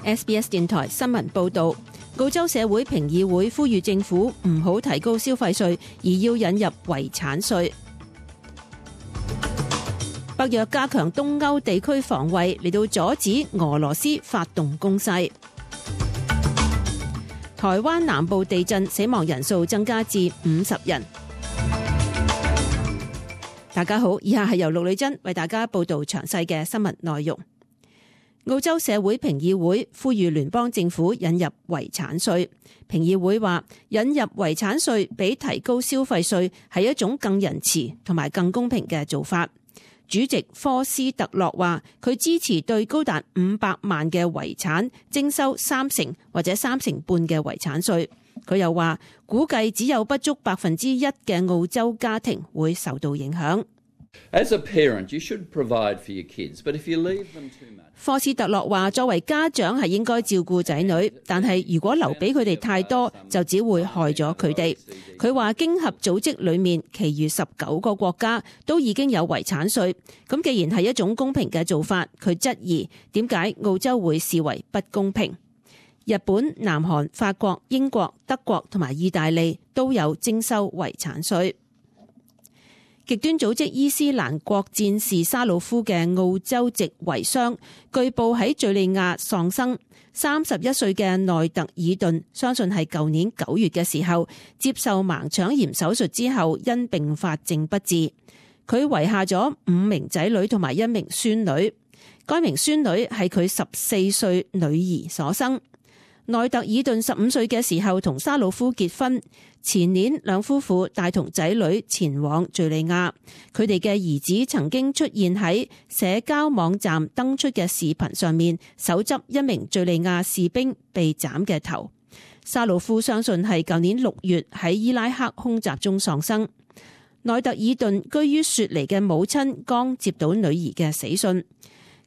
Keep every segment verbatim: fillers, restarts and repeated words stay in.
S B S 電台新聞報導，澳洲社會評議會呼籲政府唔好提高消費稅，而要引入遺產稅。北約加強東歐地區防衛，嚟到阻止俄羅斯發動攻勢。台灣南部地震，死亡人數增加至五十人。大家好，以下係由陸女珍為大家報道詳細嘅新聞內容。澳洲社會評議會呼籲聯邦政府引入遺產稅。評議會話，引入遺產稅比提高消費稅係一種更仁慈同埋更公平嘅做法。主席科斯特洛話，佢支持對高達五百萬嘅遺產徵收三成或者三成半嘅遺產稅。佢又話，估計只有不足百分之一嘅澳洲家庭會受到影響。As a parent, you should provide for your kids, but if you leave them too much. 科斯特洛話，作為家長係應該照顧仔女，但係如果留俾佢哋太多，就只會害咗佢哋。佢話經合組織裏面，其餘十九個國家都已經有遺產稅，咁既然係一種公平嘅做法，佢質疑點解澳洲會視為不公平。日本、南韓、法國、英國、德國同埋意大利都有徵收遺產稅。極端組織伊斯蘭國戰士沙魯夫嘅澳洲籍遺孀，據報喺敘利亞喪生。三十一歲嘅內特爾頓，相信係舊年九月嘅時候接受盲腸炎手術之後，因併發症不治。佢遺下咗五名仔女同埋一名孫女，該名孫女係佢十四歲女兒所生。內特爾頓十五歲嘅時候同沙魯夫結婚，前年兩夫婦帶同仔女前往敘利亞，佢哋嘅兒子曾經出現喺社交網站登出嘅視頻上面，手執一名敘利亞士兵被斬嘅頭。沙魯夫相信係舊年六月喺伊拉克空襲中喪生。內特爾頓居於雪梨嘅母親剛接到女兒嘅死訊。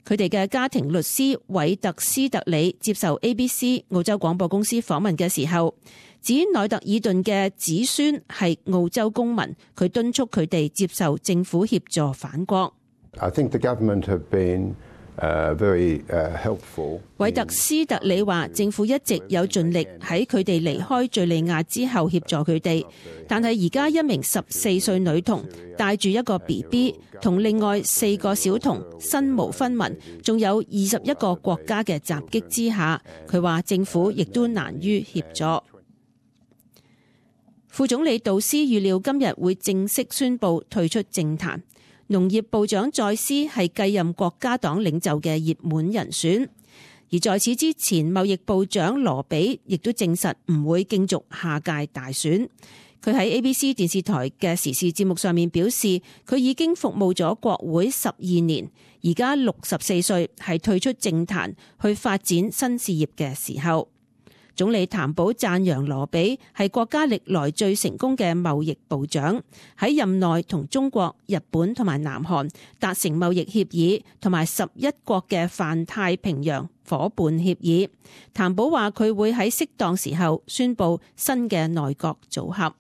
佢哋嘅家庭律師韋特斯特里接受 A B C 澳洲廣播公司訪問嘅時候，指內特爾頓嘅子孫係澳洲公民，佢敦促佢哋接受政府協助返國。I think the government have been uh, very uh, helpful. 韋特斯特里話，政府一直有盡力喺佢哋離開敘利亞之後協助佢哋，但係而家一名十四歲女童帶住一個 B B 同另外四個小童身無分文，仲有二十一個國家嘅襲擊之下，佢話政府亦都難於協助。副總理杜斯預料今日會正式宣布退出政壇。農業部長再斯係繼任國家黨領袖嘅熱門人選，而在此之前，貿易部長羅比亦都證實唔會競逐下屆大選。佢喺 A B C 電視台嘅時事節目上面表示，佢已經服務咗國會十二年，而家六十四歲，係退出政壇去發展新事業嘅時候。總理譚寶讚揚羅比係國家歷來最成功嘅貿易部長，喺任內同中國、日本同埋南韓達成貿易協議，同埋十一國嘅泛太平洋夥伴協議。譚寶話佢會喺適當時候宣布新嘅內閣組合。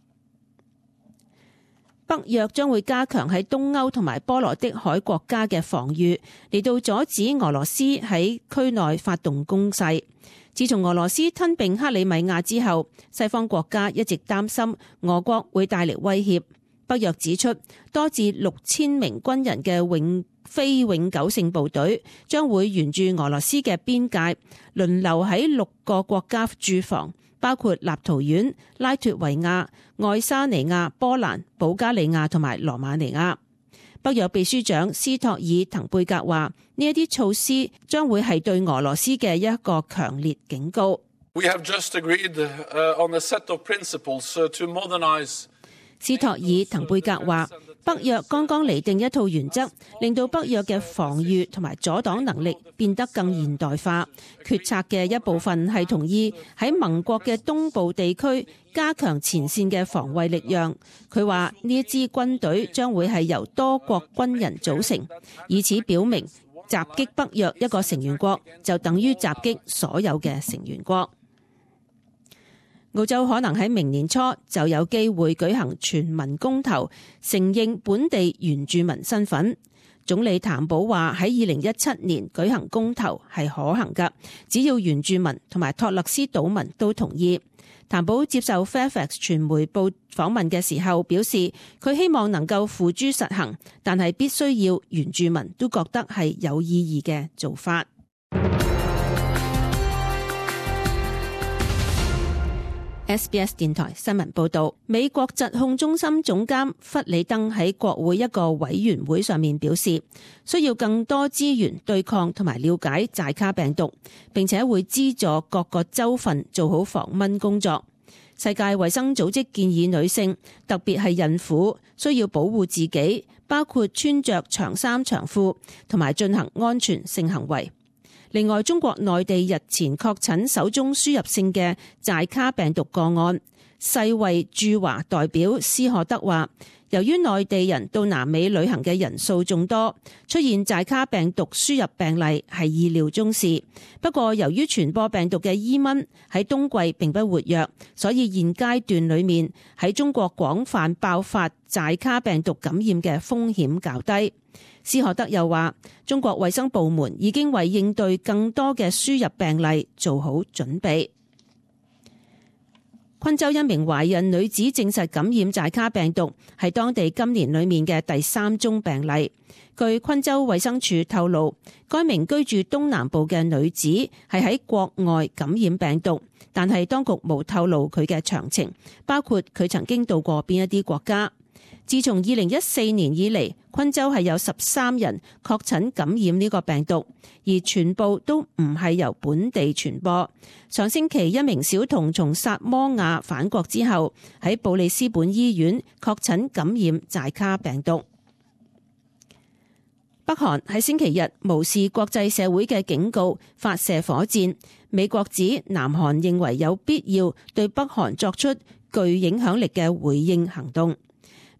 北約將會加強喺東歐同埋波羅的海國家嘅防禦，嚟到阻止俄羅斯喺區內發動攻勢。自從俄羅斯吞併克里米亞之後，西方國家一直擔心俄國會帶嚟威脅。北約指出，多至六千名軍人嘅永非永久性部隊將會沿住俄羅斯嘅邊界輪流喺六個國家駐防，包括立陶宛、拉脫維亞、愛沙尼亞、波蘭、保加利亞同埋羅馬尼亞。北約秘書長斯托爾滕貝格話：呢一啲措施將會係對俄羅斯嘅一個強烈警告。We have just agreed on a set of principles to modernize. 斯托爾滕貝格話：北約剛剛釐定一套原則，令到北約嘅防禦同埋阻擋能力變得更現代化。決策嘅一部分係同意喺盟國嘅東部地區加強前線嘅防衛力量。佢話呢一支軍隊將會係由多國軍人組成，以此表明襲擊北約一個成員國就等於襲擊所有嘅成員國。澳洲可能喺明年初就有機會舉行全民公投，承認本地原住民身份。總理譚寶話喺二零一七年舉行公投係可行㗎，只要原住民同埋托勒斯島民都同意。譚寶接受 Fairfax 傳媒報訪問嘅時候表示，佢希望能夠付諸實行，但係必須要原住民都覺得係有意義嘅做法。S B S 電台新聞報道，美國疾控中心總監弗里登喺國會一個委員會上面表示，需要更多資源對抗同埋了解寨卡病毒，並且會資助各個州份做好防蚊工作。世界衛生組織建議女性，特別係孕婦，需要保護自己，包括穿着長衫長褲同埋進行安全性行為。另外，中國內地日前確診首宗輸入性嘅寨卡病毒個案。世衛駐華代表斯荷德話，由於內地人到南美旅行嘅人數眾多，出現寨卡病毒輸入病例係意料中事。不過，由於傳播病毒嘅伊蚊喺冬季並不活躍，所以現階段裡面喺中國廣泛爆發寨卡病毒感染嘅風險較低。斯荷德又話，中國衛生部門已經為應對更多嘅輸入病例做好準備。昆州一名懷孕女子證實感染寨卡病毒，係當地今年裡面嘅第三宗病例。據昆州衛生署透露，該名居住東南部嘅女子係喺國外感染病毒，但係當局冇透露佢嘅詳情，包括佢曾經到過邊一啲國家。自從二零一四年以嚟，昆州係有十三人確診感染呢個病毒，而全部都唔係由本地傳播。上星期一名小童從薩摩亞返國之後，喺布里斯本醫院確診感染寨卡病毒。北韓喺星期日無視國際社會嘅警告，發射火箭。美國指南韓認為有必要對北韓作出具影響力嘅回應行動。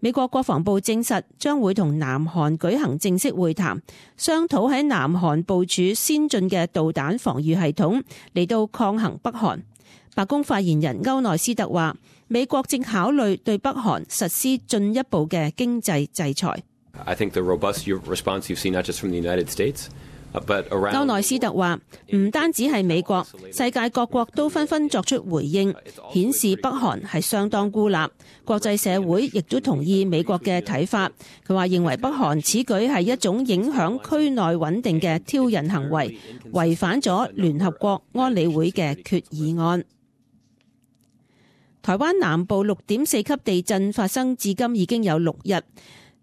美國國防部證實將會同南韓舉行正式會談，商討喺南韓部署先進嘅導彈防禦系統嚟到抗衡北韓。白宮發言人歐內斯特話，美國正考慮對北韓實施進一步嘅經濟制裁。I think the robust response you've seen not just from the United States, but around. 歐內斯特話，唔單止係美國，世界各國都紛紛作出回應，顯示北韓係相當孤立。國際社會亦都同意美國嘅睇法。佢話認為北韓此舉係一種影響區內穩定嘅挑釁行為，違反咗聯合國安理會嘅決議案。台灣南部六點四級地震發生至今已經有六日。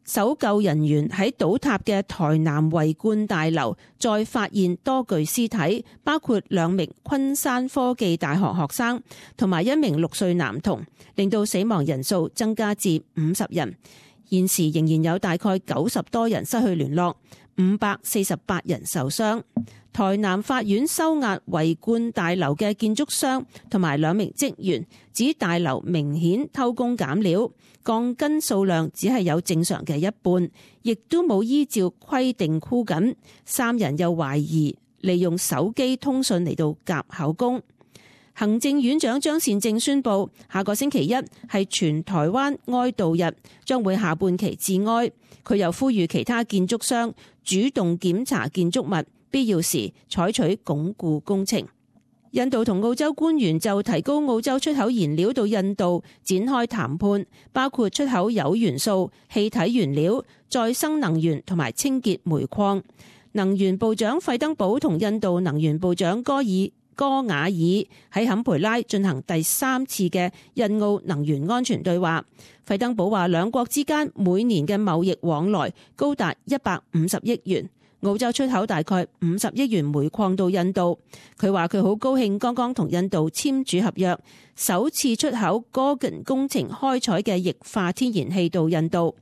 搜救人員喺倒塌嘅台南維冠大樓再發現多具屍體，包括兩名昆山科技大學學生同埋一名六歲男童，令到死亡人數增加至五十人。現時仍然有大概九十多人失去聯絡，五百四十八人受傷。台南法院收押維冠大樓嘅建築商同埋兩名職員，指大樓明顯偷工減料，鋼筋數量只係有正常嘅一半，亦都冇依照規定箍緊。三人又懷疑利用手機通訊嚟到夾口供。行政院長張善政宣布，下個星期一係全台灣哀悼日，將會下半旗致哀。佢又呼籲其他建築商主動檢查建築物，必要時採取鞏固工程。印度同澳洲官員就提高澳洲出口燃料到印度展開談判，包括出口鈾元素、氣體原料、再生能源同埋清潔煤礦。能源部長費登堡同印度能源部長戈爾戈瓦爾喺坎培拉進行第三次嘅印澳能源安全對話。費登堡話，兩國之間每年嘅貿易往來高達一百五十億元。澳洲出口大概五十億元煤礦到印度。佢話佢好高興剛剛同印度簽署合約，首次出口 Gorgon 工程開採嘅液化天然氣到印度。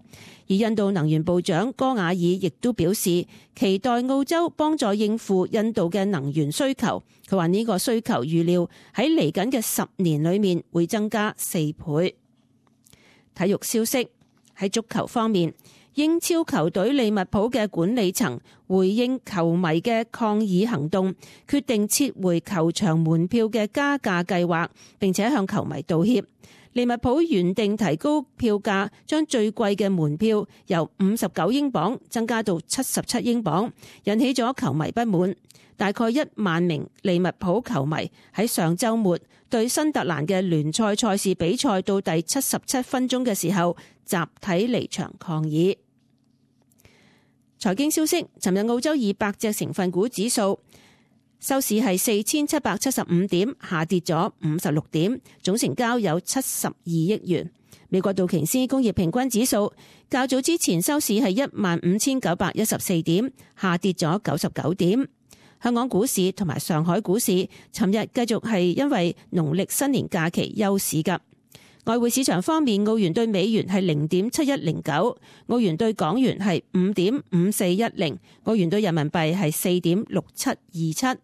而印度能源部長戈瓦爾亦都表示期待澳洲幫助應付印度嘅能源需求。佢話呢個需求預料喺嚟緊嘅十年裏面會增加四倍。體育消息，喺足球方面，英超球隊利物浦嘅管理層回應球迷嘅抗議行動，決定撤回球場門票嘅加價計劃，並且向球迷道歉。利物浦原定提高票價，將最貴嘅門票由五十九英鎊增加到七十七英鎊，引起咗球迷不滿。大概一萬名利物浦球迷喺上週末對新特蘭嘅聯賽賽事比賽到第七十七分鐘嘅時候，集體離場抗議。財經消息，尋日澳洲二百隻成分股指數收市係四千七百七十五點，下跌咗五十六點，總成交有七十二億元。美國道瓊斯工業平均指數較早之前收市係一萬五千九百一十四點，下跌咗九十九點。香港股市同埋上海股市尋日繼續係因為農曆新年假期休市㗎。外匯市場方面，澳元對美元係零點七一零九，澳元對港元係五點五四一零，澳元對人民幣係四點六七二七。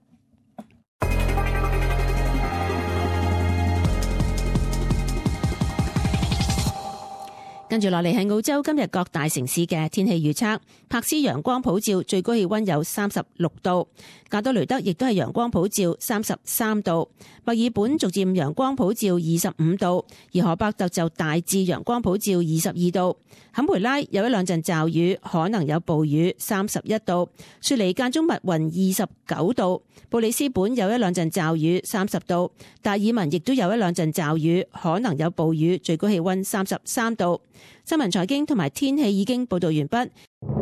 跟住落嚟係澳洲今日各大城市嘅天氣預測。柏斯陽光普照，最高氣溫有三十六度；加多雷德亦都係陽光普照，三十三度；墨爾本逐漸陽光普照，二十五度；而荷伯特就大致陽光普照，二十二度；坎培拉有一兩陣驟雨，可能有暴雨，三十一度；雪梨間中密雲，二十九度；布里斯本有一兩陣驟雨，三十度；達爾文亦都有一兩陣驟雨，可能有暴雨，最高氣溫三十三度。新聞財經同埋天氣已經報道完畢。